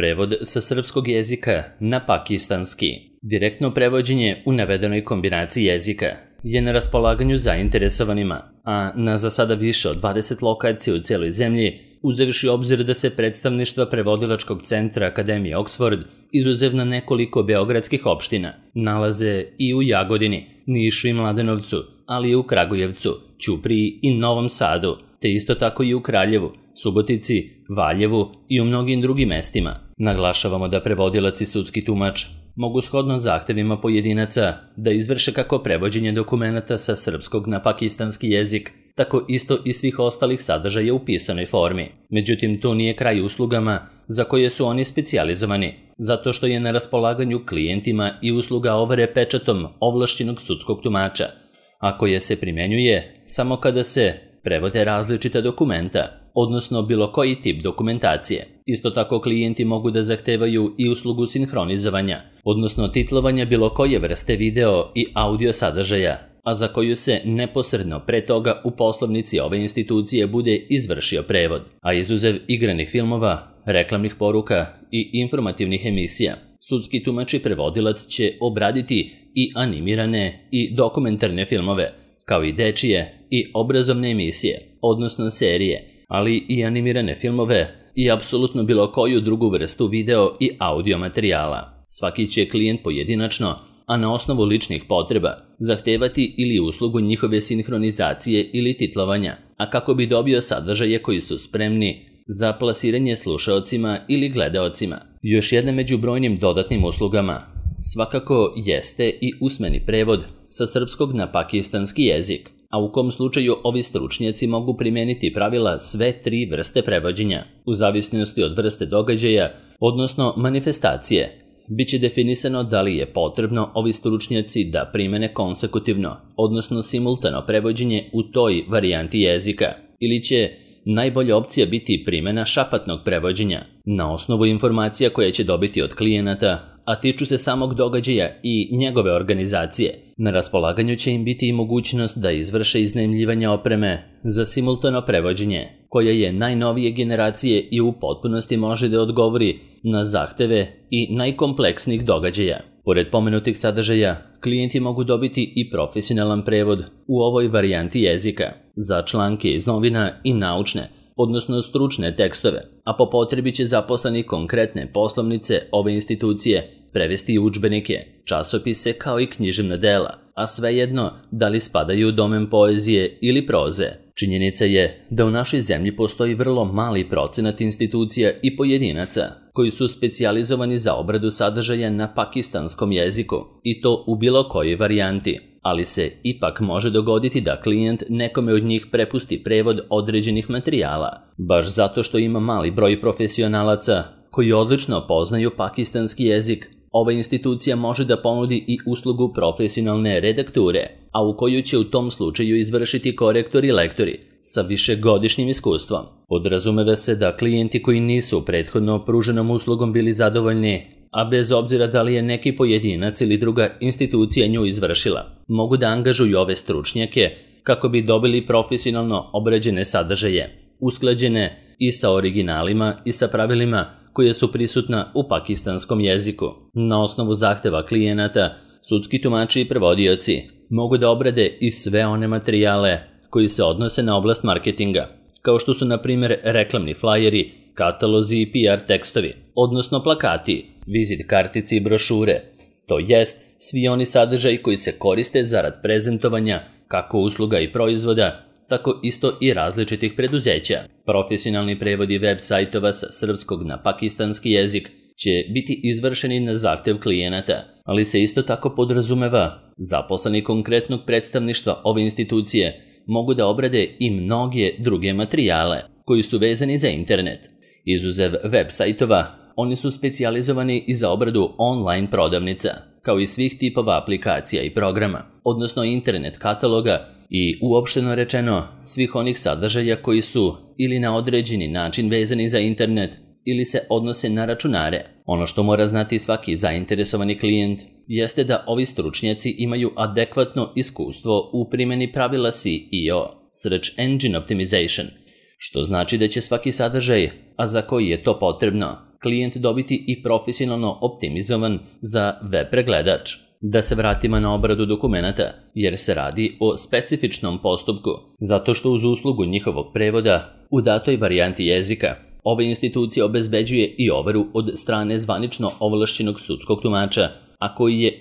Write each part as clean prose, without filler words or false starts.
Prevod sa srpskog jezika na pakistanski. Direktno prevođenje u navedenoj kombinaciji jezika je na raspolaganju zainteresovanima, a na za sada više od 20 lokacija u cijeloj zemlji, uzevši obzir da se predstavništva prevodilačkog centra Akademije Oxford, izuzev na nekoliko beogradskih opština, nalaze i u Jagodini, Nišu i Mladenovcu, ali i u Kragujevcu, Ćupriji i Novom Sadu, te isto tako i u Kraljevu, Subotici, Valjevu i u mnogim drugim mestima. Naglašavamo da prevodilac i sudski tumač mogu shodno zahtevima pojedinaca da izvrše kako prevođenje dokumenata sa srpskog na pakistanski jezik, tako isto i svih ostalih sadržaja u pisanoj formi. Međutim, to nije kraj uslugama za koje su oni specijalizovani, zato što je na raspolaganju klijentima i usluga overe pečatom ovlašćenog sudskog tumača, a koje se primenjuje samo kada se prevode različita dokumenta, odnosno bilo koji tip dokumentacije. Isto tako klijenti mogu da zahtevaju i uslugu sinhronizovanja, odnosno titlovanja bilo koje vrste video i audio sadržaja, a za koju se neposredno pre toga u poslovnici ove institucije bude izvršio prevod, a izuzev igranih filmova, reklamnih poruka i informativnih emisija. Sudski tumač i prevodilac će obraditi i animirane i dokumentarne filmove, kao i dečije i obrazovne emisije, odnosno serije, ali i animirane filmove i apsolutno bilo koju drugu vrstu video i audio materijala. Svaki će klijent pojedinačno, a na osnovu ličnih potreba, zahtevati ili uslugu njihove sinhronizacije ili titlovanja, a kako bi dobio sadržaje koji su spremni za plasiranje slušaocima ili gledaocima. Još jedna među brojnim dodatnim uslugama svakako jeste i usmeni prevod sa srpskog na pakistanski jezik, a u kom slučaju ovi stručnjaci mogu primijeniti pravila sve tri vrste prevođenja, u zavisnosti od vrste događaja, odnosno manifestacije. Biće definisano da li je potrebno ovi stručnjaci da primene konsekutivno, odnosno simultano prevođenje u toj varijanti jezika, ili će najbolja opcija biti primjena šapatnog prevođenja, na osnovu informacija koje će dobiti od klijenata, a tiču se samog događaja i njegove organizacije. Na raspolaganju će im biti i mogućnost da izvrše iznajmljivanje opreme za simultano prevođenje, koja je najnovije generacije i u potpunosti može da odgovori na zahteve i najkompleksnijih događaja. Pored pomenutih sadržaja, klijenti mogu dobiti i profesionalan prevod u ovoj varijanti jezika za članke iz novina i naučne, odnosno stručne tekstove, a po potrebi će zaposleni konkretne poslovnice ove institucije prevesti udžbenike, časopise kao i književna dela, a svejedno da li spadaju u domen poezije ili proze. Činjenica je da u našoj zemlji postoji vrlo mali procenat institucija i pojedinaca koji su specijalizovani za obradu sadržaja na pakistanskom jeziku, i to u bilo kojoj varijanti, ali se ipak može dogoditi da klijent nekome od njih prepusti prevod određenih materijala, baš zato što ima mali broj profesionalaca koji odlično poznaju pakistanski jezik. Ova institucija može da ponudi i uslugu profesionalne redakture, a u koju će u tom slučaju izvršiti korektori i lektori sa višegodišnjim iskustvom. Podrazumeva se da klijenti koji nisu prethodno pruženom uslugom bili zadovoljni, a bez obzira da li je neki pojedinac ili druga institucija nju izvršila, mogu da angažuju ove stručnjake kako bi dobili profesionalno obrađene sadržaje, usklađene i sa originalima i sa pravilima koje su prisutna u pakistanskom jeziku. Na osnovu zahteva klijenata, sudski tumači i prevodioci mogu da obrade i sve one materijale koji se odnose na oblast marketinga, kao što su na primjer reklamni flajeri, katalozi i PR tekstovi, odnosno plakati, vizit kartici i brošure, to jest svi oni sadržaji koji se koriste zarad prezentovanja kako usluga i proizvoda, tako isto i različitih preduzeća. Profesionalni prevodi web sajtova sa srpskog na pakistanski jezik će biti izvršeni na zahtev klijenata, ali se isto tako podrazumeva zaposleni konkretnog predstavništva ove institucije mogu da obrade i mnoge druge materijale koji su vezani za internet. Izuzev web sajtova, oni su specijalizovani i za obradu online prodavnica, kao i svih tipova aplikacija i programa, odnosno internet kataloga i uopšteno rečeno svih onih sadržaja koji su ili na određeni način vezani za internet ili se odnose na računare. Ono što mora znati svaki zainteresovani klijent jeste da ovi stručnjaci imaju adekvatno iskustvo u primjeni pravila SEO, Search Engine Optimization, što znači da će svaki sadržaj, a za koji je to potrebno, klijent dobiti i profesionalno optimizovan za web pregledač. Da se vratimo na obradu dokumenata, jer se radi o specifičnom postupku, zato što uz uslugu njihovog prevoda u datoj varijanti jezika, ova institucija obezbeđuje i overu od strane zvanično ovlašćenog sudskog tumača, a koji je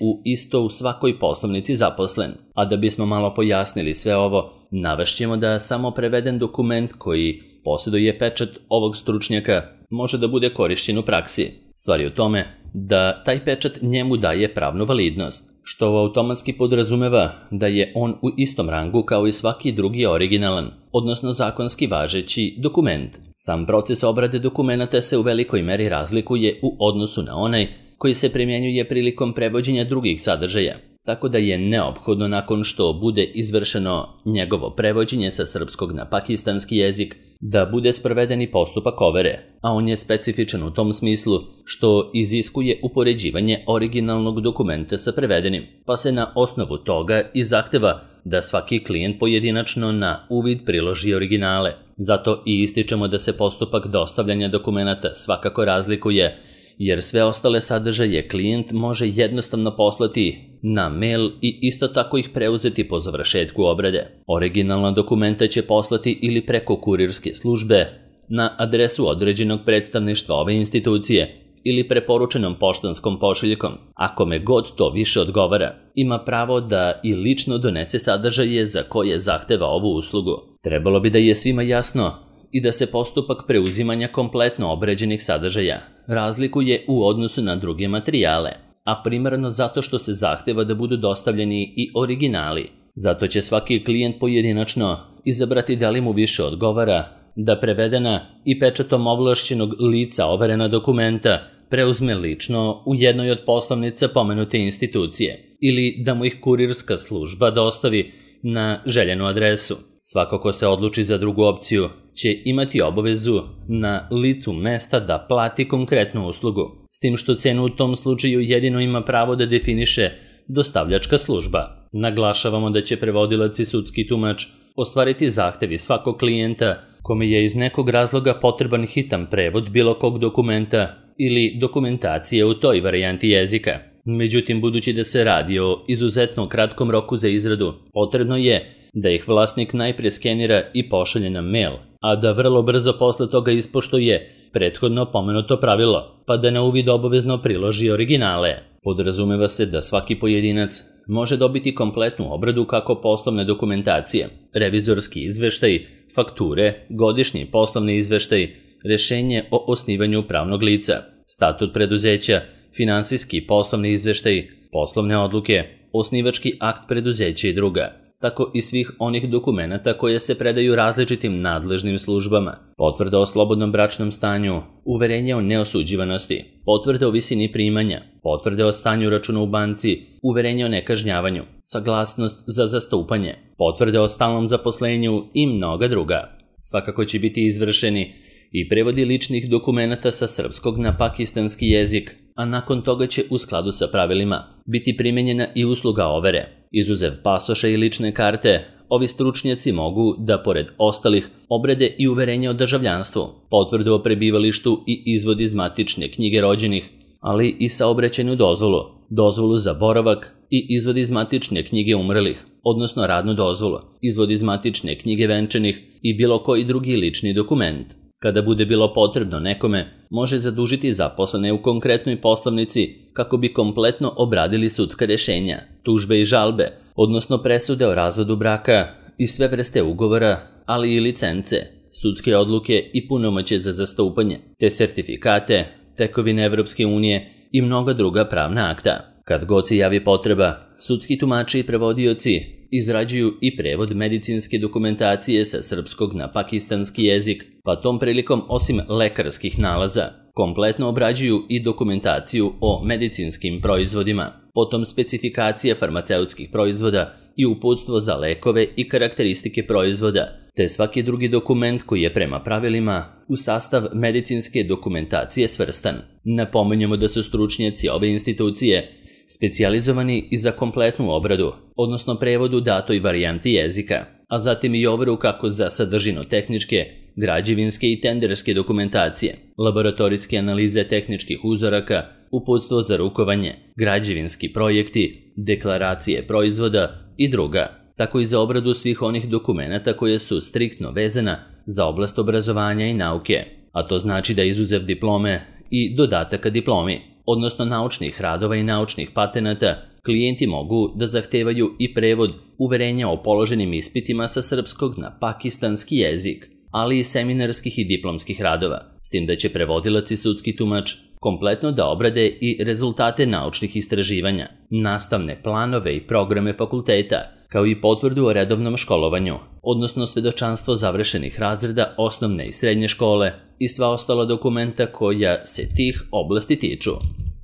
u svakoj poslovnici zaposlen. A da bismo malo pojasnili sve ovo, navešćemo da samo preveden dokument koji posjeduje pečat ovog stručnjaka može da bude korišćen u praksi. Stvar je u tome da taj pečat njemu daje pravnu validnost, što automatski podrazumeva da je on u istom rangu kao i svaki drugi originalan, odnosno zakonski važeći dokument. Sam proces obrade dokumenata se u velikoj meri razlikuje u odnosu na onaj koji se primjenjuje prilikom prevođenja drugih sadržaja, tako da je neophodno nakon što bude izvršeno njegovo prevođenje sa srpskog na pakistanski jezik da bude sprovedeni postupak overe, a on je specifičan u tom smislu što iziskuje upoređivanje originalnog dokumenta sa prevedenim, pa se na osnovu toga i zahteva da svaki klijent pojedinačno na uvid priloži originale. Zato i ističemo da se postupak dostavljanja dokumenata svakako razlikuje, jer sve ostale sadržaje klijent može jednostavno poslati na mail i isto tako ih preuzeti po završetku obrade. Originalna dokumenta će poslati ili preko kurirske službe na adresu određenog predstavništva ove institucije ili preporučenom poštanskom pošiljkom. Ako me god to više odgovara, ima pravo da i lično donese sadržaje za koje zahteva ovu uslugu. Trebalo bi da je svima jasno i da se postupak preuzimanja kompletno obrađenih sadržaja razlikuje u odnosu na druge materijale, a primarno zato što se zahteva da budu dostavljeni i originali. Zato će svaki klijent pojedinačno izabrati da li mu više odgovara da prevedena i pečatom ovlašćenog lica overena dokumenta preuzme lično u jednoj od poslovnica pomenute institucije ili da mu ih kurirska služba dostavi na željenu adresu. Svako ko se odluči za drugu opciju će imati obavezu na licu mesta da plati konkretnu uslugu, s tim što cenu u tom slučaju jedino ima pravo da definiše dostavljačka služba. Naglašavamo da će prevodilac i sudski tumač ostvariti zahtevi svakog klijenta kome je iz nekog razloga potreban hitan prevod bilo kog dokumenta ili dokumentacije u toj varijanti jezika. Međutim, budući da se radi o izuzetno kratkom roku za izradu, potrebno je da ih vlasnik najprije skenira i pošalje na mail, a da vrlo brzo posle toga ispoštuje prethodno pomenuto pravilo, pa da na uvid obavezno priloži originale. Podrazumeva se da svaki pojedinac može dobiti kompletnu obradu kako poslovne dokumentacije, revizorski izveštaj, fakture, godišnji poslovni izveštaj, rešenje o osnivanju pravnog lica, statut preduzeća, finansijski poslovni izveštaj, poslovne odluke, osnivački akt preduzeća i druga, tako i svih onih dokumenata koje se predaju različitim nadležnim službama, potvrda o slobodnom bračnom stanju, uverenje o neosuđivanosti, potvrde o visini primanja, potvrde o stanju računa u banci, uverenje o nekažnjavanju, saglasnost za zastupanje, potvrde o stalnom zaposlenju i mnoga druga. Svakako će biti izvršeni i prevodi ličnih dokumenata sa srpskog na pakistanski jezik, a nakon toga će u skladu sa pravilima biti primenjena i usluga overe. Izuzev pasoša i lične karte, ovi stručnjaci mogu da, pored ostalih, obrade i uverenje o državljanstvu, potvrdu o prebivalištu i izvod iz matične knjige rođenih, ali i saobraćajnu dozvolu, dozvolu za boravak i izvod iz matične knjige umrlih, odnosno radnu dozvolu, izvod iz matične knjige venčanih i bilo koji drugi lični dokument. Kada bude bilo potrebno nekome, može zadužiti zaposlene u konkretnoj poslovnici kako bi kompletno obradili sudska rešenja, tužbe i žalbe, odnosno presude o razvodu braka i sve vrste ugovora, ali i licence, sudske odluke i punomoćje za zastupanje, te sertifikate, tekovine Evropske unije i mnoga druga pravna akta. Kad god se javi potreba, sudski tumači i prevodioci izrađuju i prevod medicinske dokumentacije sa srpskog na pakistanski jezik, pa tom prilikom osim lekarskih nalaza, kompletno obrađuju i dokumentaciju o medicinskim proizvodima, potom specifikacije farmaceutskih proizvoda i uputstvo za lekove i karakteristike proizvoda, te svaki drugi dokument koji je prema pravilima u sastav medicinske dokumentacije svrstan. Napominjemo da su stručnjaci ove institucije specijalizovani i za kompletnu obradu, odnosno prevod u datoj varijanti jezika, a zatim i overu kako za sadržino-tehničke građevinske i tenderske dokumentacije, laboratorijske analize tehničkih uzoraka, uputstvo za rukovanje, građevinski projekti, deklaracije proizvoda i druga, tako i za obradu svih onih dokumenata koje su striktno vezana za oblast obrazovanja i nauke, a to znači da izuzev diplome i dodataka diplomi, odnosno naučnih radova i naučnih patenata, klijenti mogu da zahtevaju i prevod uverenja o položenim ispitima sa srpskog na pakistanski jezik, ali i seminarskih i diplomskih radova, s tim da će prevodilac i sudski tumač kompletno da obrade i rezultate naučnih istraživanja, nastavne planove i programe fakulteta, kao i potvrdu o redovnom školovanju, odnosno svedočanstvo završenih razreda osnovne i srednje škole i sva ostala dokumenta koja se tih oblasti tiču.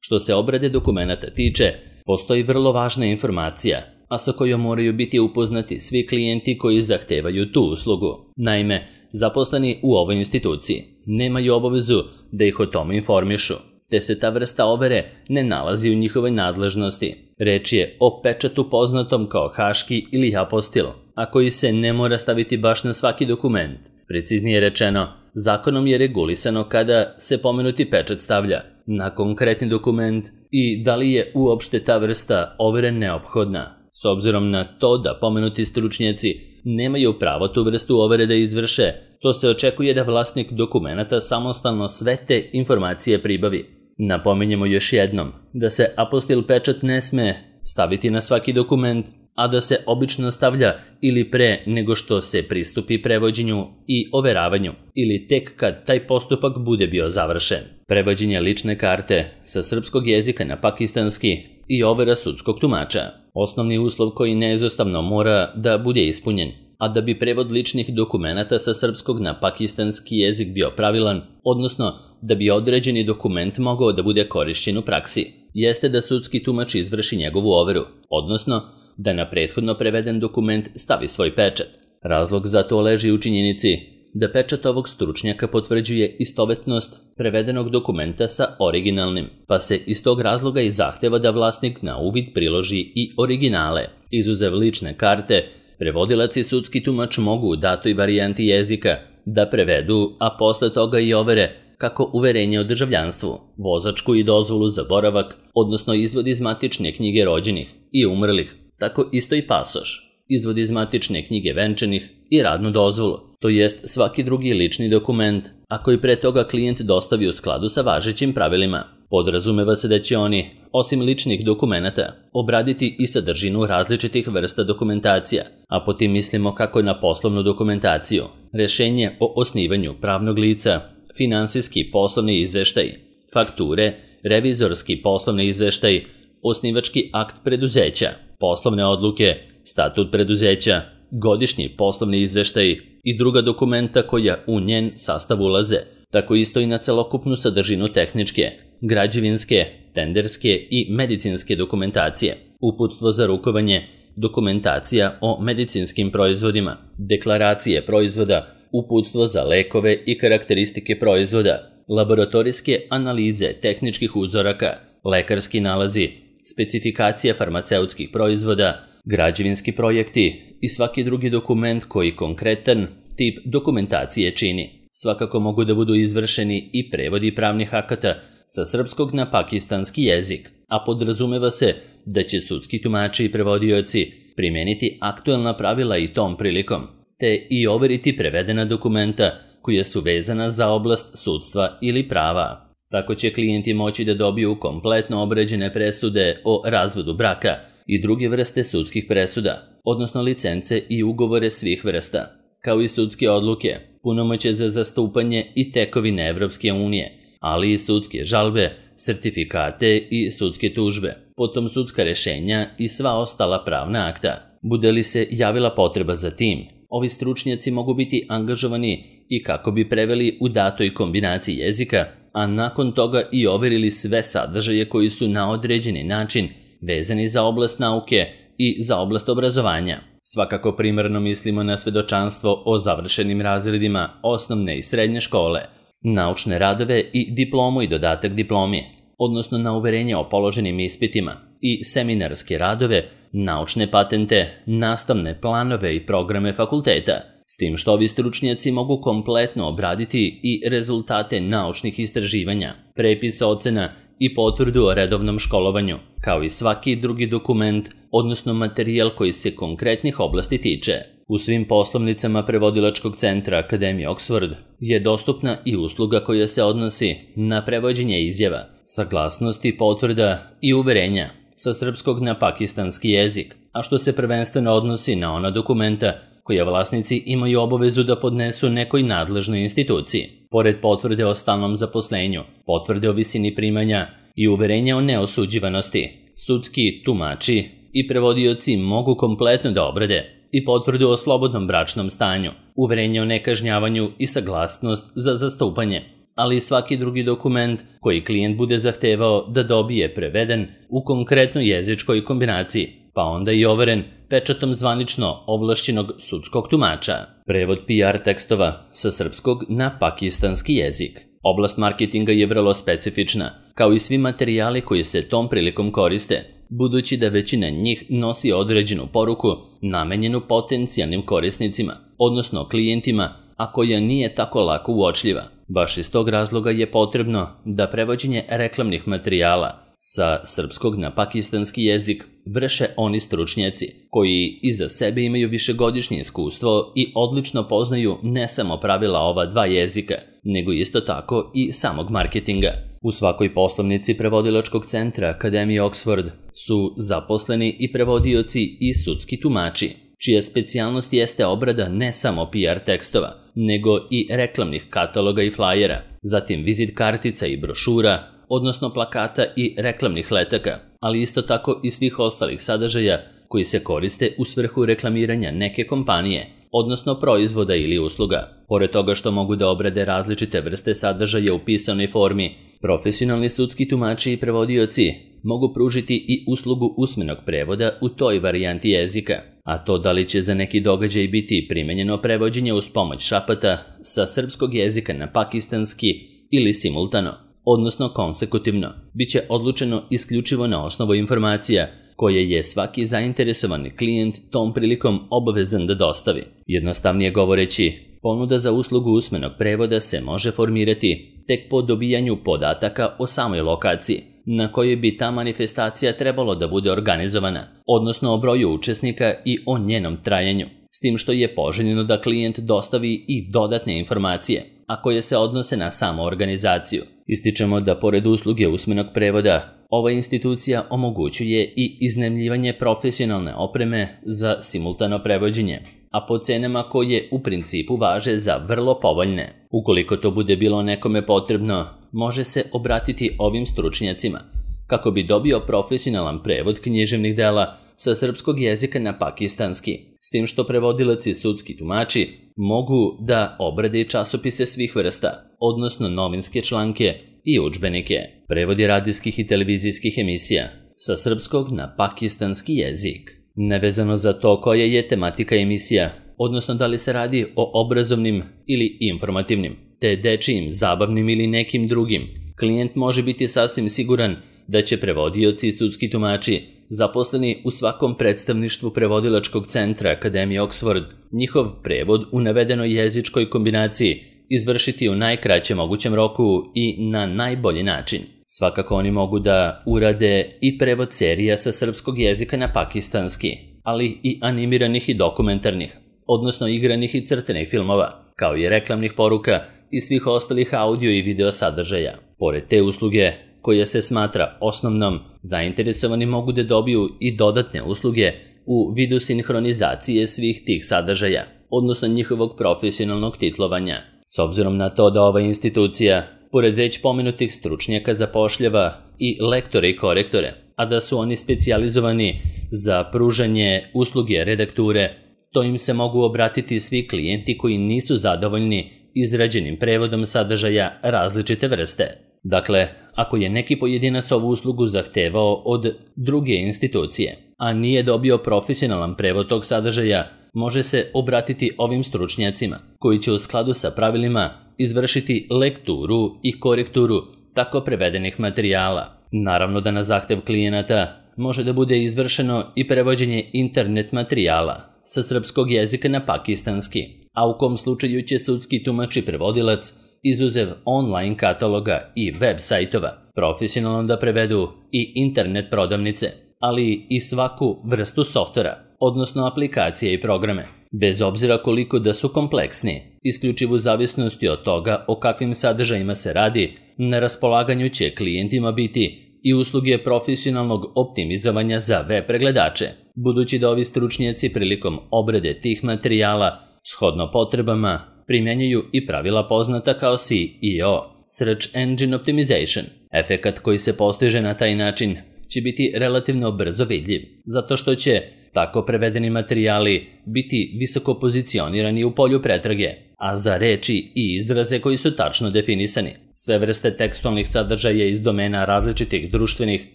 Što se obrade dokumenata tiče, postoji vrlo važna informacija, a sa kojom moraju biti upoznati svi klijenti koji zahtevaju tu uslugu. Naime, zaposleni u ovoj instituciji nemaju obavezu da ih o tome informišu, te se ta vrsta overe ne nalazi u njihovoj nadležnosti. Reč je o pečatu poznatom kao haški ili apostil, a koji se ne mora staviti baš na svaki dokument. Preciznije rečeno, zakonom je regulisano kada se pomenuti pečat stavlja na konkretni dokument i da li je uopšte ta vrsta overe neophodna. S obzirom na to da pomenuti stručnjaci nemaju pravo tu vrstu overe da izvrše, to se očekuje da vlasnik dokumenata samostalno sve te informacije pribavi. Napominjemo još jednom da se apostil pečat ne sme staviti na svaki dokument, a da se obično stavlja ili pre nego što se pristupi prevođenju i overavanju, ili tek kad taj postupak bude bio završen. Prevođenje lične karte sa srpskog jezika na pakistanski i overa sudskog tumača. Osnovni uslov koji neizostavno mora da bude ispunjen, a da bi prevod ličnih dokumenata sa srpskog na pakistanski jezik bio pravilan, odnosno da bi određeni dokument mogao da bude korišćen u praksi, jeste da sudski tumač izvrši njegovu overu, odnosno da na prethodno preveden dokument stavi svoj pečat. Razlog za to leži u činjenici da pečat ovog stručnjaka potvrđuje istovetnost prevedenog dokumenta sa originalnim, pa se iz tog razloga i zahteva da vlasnik na uvid priloži i originale. Izuzev lične karte, prevodilac i sudski tumač mogu u datoj varijanti jezika da prevedu, a posle toga i overe, kako uverenje o državljanstvu, vozačku i dozvolu za boravak, odnosno izvod iz matične knjige rođenih i umrlih, tako isto i pasoš, izvod iz matične knjige venčanih i radnu dozvolu, to jest svaki drugi lični dokument, a koji pre toga klijent dostavi u skladu sa važećim pravilima. Podrazumeva se da će oni, osim ličnih dokumenata, obraditi i sadržinu različitih vrsta dokumentacija, a po tim mislimo kako na poslovnu dokumentaciju, rešenje o osnivanju pravnog lica, finansijski poslovni izveštaj, fakture, revizorski poslovni izveštaj, osnivački akt preduzeća, poslovne odluke, statut preduzeća, godišnji poslovni izveštaj i druga dokumenta koja u njen sastav ulaze, tako isto i na celokupnu sadržinu tehničke, građevinske, tenderske i medicinske dokumentacije, uputstvo za rukovanje, dokumentacija o medicinskim proizvodima, deklaracije proizvoda, uputstvo za lekove i karakteristike proizvoda, laboratorijske analize tehničkih uzoraka, lekarski nalazi, specifikacija farmaceutskih proizvoda, građevinski projekti i svaki drugi dokument koji konkretan tip dokumentacije čini. Svakako mogu da budu izvršeni i prevodi pravnih akata sa srpskog na pakistanski jezik, a podrazumeva se da će sudski tumači i prevodioci primeniti aktuelna pravila i tom prilikom, te i overiti prevedena dokumenta koja su vezana za oblast sudstva ili prava. Tako će klijenti moći da dobiju kompletno obrađene presude o razvodu braka i druge vrste sudskih presuda, odnosno licence i ugovore svih vrsta, kao i sudske odluke, punomoćje za zastupanje i tekovine Evropske unije, ali i sudske žalbe, sertifikate i sudske tužbe, potom sudska rešenja i sva ostala pravna akta. Bude li se javila potreba za tim, ovi stručnjaci mogu biti angažovani i kako bi preveli u datoj kombinaciji jezika, a nakon toga i overili sve sadržaje koji su na određeni način vezani za oblast nauke i za oblast obrazovanja. Svakako primarno mislimo na svedočanstvo o završenim razredima osnovne i srednje škole, naučne radove i diplomu i dodatak diplomi, odnosno na uverenje o položenim ispitima i seminarske radove, naučne patente, nastavne planove i programe fakulteta, s tim što ovi stručnjaci mogu kompletno obraditi i rezultate naučnih istraživanja, prepisa ocena i potvrdu o redovnom školovanju, kao i svaki drugi dokument, odnosno materijal koji se konkretnih oblasti tiče. U svim poslovnicama prevodilačkog centra Akademije Oxford je dostupna i usluga koja se odnosi na prevođenje izjava, saglasnosti, potvrda i uverenja sa srpskog na pakistanski jezik, a što se prvenstveno odnosi na ona dokumenta koje vlasnici imaju obavezu da podnesu nekoj nadležnoj instituciji. Pored potvrde o stalnom zaposlenju, potvrde o visini primanja i uverenja o neosuđivanosti, sudski tumači i prevodioci mogu kompletno da obrade i potvrdu o slobodnom bračnom stanju, uverenje o nekažnjavanju i saglasnost za zastupanje, ali i svaki drugi dokument koji klijent bude zahtevao da dobije preveden u konkretnoj jezičkoj kombinaciji, pa onda i overen pečatom zvanično ovlašćenog sudskog tumača. Prevod PR tekstova sa srpskog na pakistanski jezik. Oblast marketinga je vrlo specifična, kao i svi materijali koji se tom prilikom koriste, budući da većina njih nosi određenu poruku namenjenu potencijalnim korisnicima, odnosno klijentima, a koja nije tako lako uočljiva. Baš iz tog razloga je potrebno da prevođenje reklamnih materijala sa srpskog na pakistanski jezik vrše oni stručnjaci koji iza sebe imaju višegodišnje iskustvo i odlično poznaju ne samo pravila ova dva jezika, nego isto tako i samog marketinga. U svakoj poslovnici prevodilačkog centra Akademije Oxford su zaposleni i prevodioci i sudski tumači, čija specijalnost jeste obrada ne samo PR tekstova, nego i reklamnih kataloga i flajera, zatim vizit kartica i brošura, odnosno plakata i reklamnih letaka, ali isto tako i svih ostalih sadržaja koji se koriste u svrhu reklamiranja neke kompanije, odnosno proizvoda ili usluga. Pored toga što mogu da obrade različite vrste sadržaja u pisanoj formi, profesionalni sudski tumači i prevodioci mogu pružiti i uslugu usmenog prevoda u toj varijanti jezika, a to da li će za neki događaj biti primenjeno prevođenje uz pomoć šapata sa srpskog jezika na pakistanski ili simultano, odnosno konsekutivno, biće odlučeno isključivo na osnovu informacija koje je svaki zainteresovani klijent tom prilikom obavezan da dostavi. Jednostavnije govoreći, ponuda za uslugu usmenog prevoda se može formirati tek po dobijanju podataka o samoj lokaciji na kojoj bi ta manifestacija trebalo da bude organizovana, odnosno o broju učesnika i o njenom trajanju, s tim što je poželjno da klijent dostavi i dodatne informacije, a koje se odnose na samu organizaciju. Ističemo da pored usluge usmenog prevoda, ova institucija omogućuje i iznajmljivanje profesionalne opreme za simultano prevođenje, a po cenama koje u principu važe za vrlo povoljne. Ukoliko to bude bilo nekome potrebno, može se obratiti ovim stručnjacima kako bi dobio profesionalan prevod književnih dela sa srpskog jezika na pakistanski, s tim što prevodilac i sudski tumači mogu da obrade i časopise svih vrsta, odnosno novinske članke i udžbenike, prevodi radijskih i televizijskih emisija sa srpskog na pakistanski jezik. Nevezano za to koja je tematika emisija, odnosno da li se radi o obrazovnim ili informativnim, te dečijim, zabavnim ili nekim drugim, klijent može biti sasvim siguran da će prevodioci i sudski tumači zaposleni u svakom predstavništvu prevodilačkog centra Akademije Oxford njihov prevod u navedenoj jezičkoj kombinaciji izvršiti u najkraćem mogućem roku i na najbolji način. Svakako oni mogu da urade i prevod serija sa srpskog jezika na pakistanski, ali i animiranih i dokumentarnih, odnosno igranih i crtenih filmova, kao i reklamnih poruka i svih ostalih audio i video sadržaja. Pored te usluge, koja se smatra osnovnom, zainteresovani mogu da dobiju i dodatne usluge u vidu sinhronizacije svih tih sadržaja, odnosno njihovog profesionalnog titlovanja. S obzirom na to da ova institucija, pored već pomenutih stručnjaka, zapošljava i lektore i korektore, a da su oni specijalizovani za pružanje usluge redakture, to im se mogu obratiti svi klijenti koji nisu zadovoljni izrađenim prevodom sadržaja različite vrste. Dakle, ako je neki pojedinac ovu uslugu zahtevao od druge institucije, a nije dobio profesionalan prevod tog sadržaja, može se obratiti ovim stručnjacima, koji će u skladu sa pravilima izvršiti lekturu i korekturu tako prevedenih materijala. Naravno da na zahtev klijenata može da bude izvršeno i prevođenje internet materijala sa srpskog jezika na pakistanski, a u kom slučaju će sudski tumač i prevodilac, izuzev online kataloga i web sajtova, profesionalno da prevedu i internet prodavnice, ali i svaku vrstu softvera, odnosno aplikacije i programe, bez obzira koliko da su kompleksni, isključivo u zavisnosti od toga o kakvim sadržajima se radi, na raspolaganju će klijentima biti i usluge profesionalnog optimizovanja za web pregledače, budući da ovi stručnjaci prilikom obrade tih materijala, shodno potrebama, primjenjuju i pravila poznata kao SEO, Search Engine Optimization. Efekat koji se postiže na taj način će biti relativno brzo vidljiv, zato što će tako prevedeni materijali biti visoko pozicionirani u polju pretrage, a za reči i izraze koji su tačno definisani. Sve vrste tekstualnih sadržaja iz domena različitih društvenih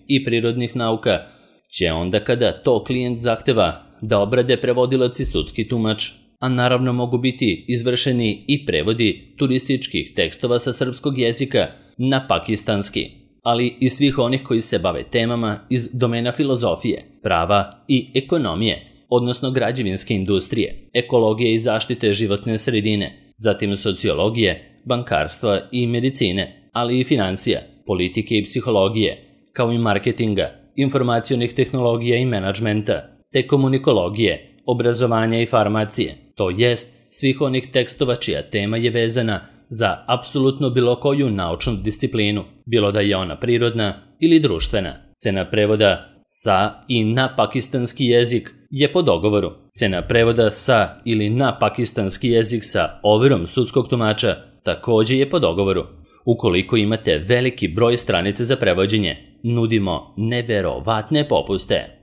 i prirodnih nauka će onda kada to klijent zahteva da obrade prevodilac i sudski tumač, a naravno mogu biti izvršeni i prevodi turističkih tekstova sa srpskog jezika na pakistanski, ali i svih onih koji se bave temama iz domena filozofije, prava i ekonomije, odnosno građevinske industrije, ekologije i zaštite životne sredine, zatim sociologije, bankarstva i medicine, ali i financija, politike i psihologije, kao i marketinga, informacionih tehnologija i menadžmenta, te komunikologije, obrazovanja i farmacije, to jest svih onih tekstova čija tema je vezana za apsolutno bilo koju naučnu disciplinu, bilo da je ona prirodna ili društvena. Cena prevoda sa i na pakistanski jezik je po dogovoru. Cena prevoda sa ili na pakistanski jezik sa overom sudskog tumača također je po dogovoru. Ukoliko imate veliki broj stranica za prevođenje, nudimo neverovatne popuste.